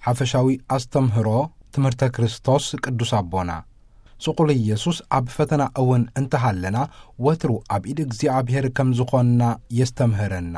ኣፈሻዊ ኣስተምህሮ ትምህርተ ክርስቶስ ቅዱስ ኣቦና፣ ስቑል ኢየሱስ ኣብ ፈተና እውን እንተሃለና፣ ወትሩ ኣብ ኢድ እግዚኣብሔር ከም ዝኾንና የስተምህረና።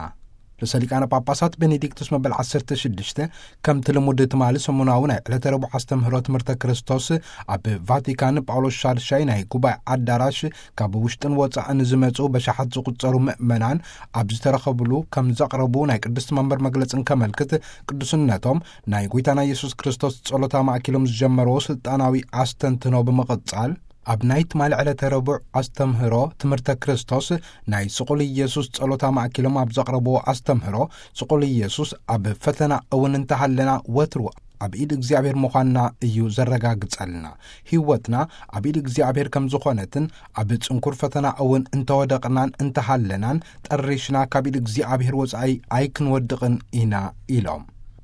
ርእሰ ሊቃነ ጳጳሳት ቤኔዲክቱስ መበል ዓሰርተ ሽዱሽተ፣ ከምቲ ልሙድ ትማሊ ሰሙናዊ ናይ ዕለተ ረቡዕ ኣስተምህሮ ትምህርተ ክርስቶስ፣ ኣብ ቫቲካን ጳውሎስ ሻድሻይ ናይ ጉባኤ ኣዳራሽ፣ ካብ ውሽጥን ወጻእን ዝመጹ በሻሓት ዝቑጸሩ ምእመናን ኣብ ዝተረኸብሉ ከም ዘቕረቡ ናይ ቅድስቲ መንበር መግለጽን ከመልክት፣ ቅዱስነቶም ናይ ጎይታና ኢየሱስ ክርስቶስ ጸሎት ኣማእኪሎም ዝጀመርዎ ስልጣናዊ ኣስተንትኖ ብምቕጻል፣ ኣብ ናይ ትማሊ ዕለተ ረቡዕ ኣስተምህሮ ትምህርተ ክርስቶስ፣ ናይ ስቑል ኢየሱስ ጸሎት ኣማእኪሎም ኣብ ዘቕረብዎ ኣስተምህሮ፣ ስቑል ኢየሱስ ኣብ ፈተና እውን እንተሃለና ወትሩ ኣብ ኢድ እግዚኣብሔር ምዃንና እዩ ዘረጋግጸልና። ህይወትና ኣብ ኢድ እግዚኣብሔር ከም ዝኾነትን ኣብ ጽንኩር ፈተና እውን እንተወደቕናን እንተሃለናን ጠሪሽና ካብ ኢድ እግዚኣብሔር ወጻኢ ኣይክንወድቕን ኢና ኢሎም።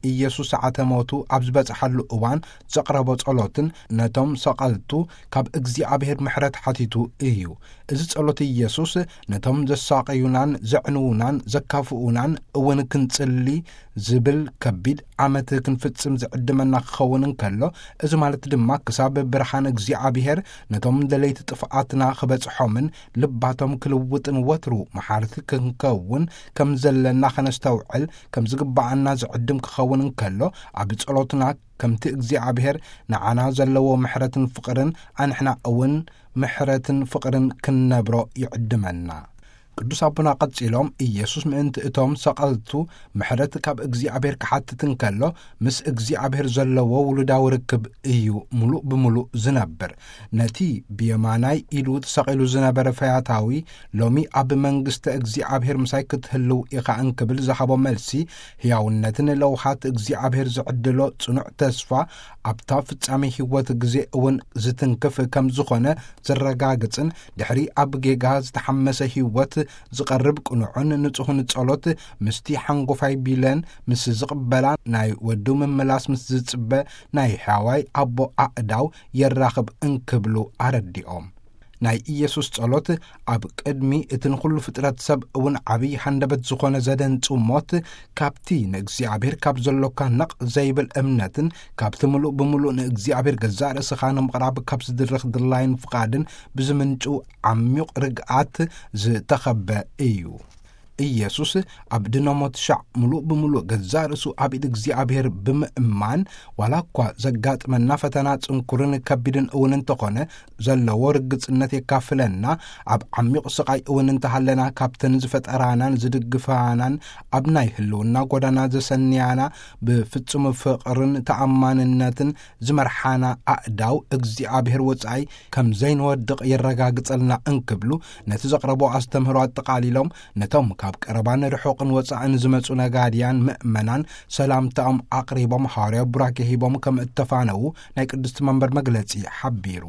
ኢየሱስ ሰዓተ ሞቱ ኣብ ዝበጽሓሉ እዋን ዘቕረቦ ጸሎትን ነቶም ሰቐልቱ ካብ እግዚኣብሔር ምሕረት ሓቲቱ እዩ። እዚ ጸሎት ኢየሱስ ነቶም ዘሳቐዩናን ዘዕንዉናን ዘካፍኡናን እውን ክንጽሊ ዝብል ከቢድ ዓመት ክንፍጽም ዝዕድመና ክኸውን እንከሎ፣ እዚ ማለት ድማ ክሳብ ብርሃን እግዚኣብሔር ነቶም ደለይቲ ጥፍኣትና ክበጽሖምን ልባቶም ክልውጥን ወትሩ መሓርቲ ክንከውን ከም ዘለና ከነስተውዕል ከም ዝግብኣና ዝዕድም ክኸውን እንከሎ፣ ኣብ ጸሎትና ከምቲ እግዚኣብሔር ንዓና ዘለዎ ምሕረትን ፍቕርን ኣንሕና እውን ምሕረትን ፍቕርን ክንነብሮ ይዕድመና። ቅዱስ ኣቦና ቀጺሎም፣ ኢየሱስ ምእንቲ እቶም ሰቐልቱ ምሕረት ካብ እግዚኣብሔር ክሓትት እንከሎ፣ ምስ እግዚኣብሔር ዘለዎ ውሉዳዊ ርክብ እዩ ምሉእ ብምሉእ ዝነብር። ነቲ ብየማናይ ኢዱ ተሰቒሉ ዝነበረ ፈያታዊ፣ ሎሚ ኣብ መንግስተ እግዚኣብሔር ምሳይ ክትህልው ኢኻ እንክብል ዝሃቦ መልሲ፣ ሕያውነትን ለውሃት እግዚኣብሔር ዝዕድሎ ጽኑዕ ተስፋ፣ ኣብታ ፍጻሜ ህይወት ግዜ እውን ዝትንክፍ ከም ዝኾነ ዘረጋግጽን፣ ድሕሪ ኣብ ጌጋ ዝተሓመሰ ህይወት ዝቐርብ ቅኑዕን ንጹህን ጸሎት፣ ምስቲ ሓንጎፋይ ቢለን ምስ ዝቕበላ፣ ናይ ወዱ ምምላስ ምስ ዝጽበ ናይ ሕያዋይ ኣቦ ኣእዳው የራኽብ እንክብሉ ኣረዲኦም። ናይ ኢየሱስ ጸሎት ኣብ ቅድሚ እቲ ንኹሉ ፍጥረት ሰብ እውን ዓብዪ ሃንደበት ዝኾነ ዘደንጹ ሞት፣ ካብቲ ንእግዚኣብሔር ካብ ዘሎካ ነቕ ዘይብል እምነትን ካብቲ ምሉእ ብምሉእ ንእግዚኣብሔር ገዛእ ርእስኻ ንምቕራብ ካብ ዝድረኽ ድላይን ፍቓድን ብዝምንጩ ዓሚቕ ርግኣት ዝተኸበ እዩ። ኢየሱስ ኣብ ድነ ሞት ሻዕ ምሉእ ብምሉእ ገዛእ ርእሱ ኣብ ኢድ እግዚኣብሔር ብምእማን፣ ዋላ እኳ ዘጋጥመና ፈተና ጽንኩርን ከቢድን እውን እንተኾነ፣ ዘለዎ ርግጽነት የካፍለና። ኣብ ዓሚቕ ስቓይ እውን እንተሃለና፣ ካብተን ዝፈጠራናን ዝድግፋናን፣ ኣብ ናይ ህልውና ጎዳና ዘሰንያና፣ ብፍጹም ፍቕርን ተኣማንነትን ዝመርሓና ኣእዳው እግዚኣብሔር ወጻኢ ከም ዘይንወድቕ የረጋግጸልና እንክብሉ፣ ነቲ ዘቕረቦ ኣስተምህሮ ኣጠቓሊሎም፣ ነቶም ካብ ቀረባን ርሑቕን ወጻእን ዝመጹ ነጋድያን ምእመናን ሰላምታኦም ኣቕሪቦም፣ ሃዋርያዊ ቡራኬ ሂቦም ከም እተፋነዉ ናይ ቅድስቲ መንበር መግለጺ ሓቢሩ።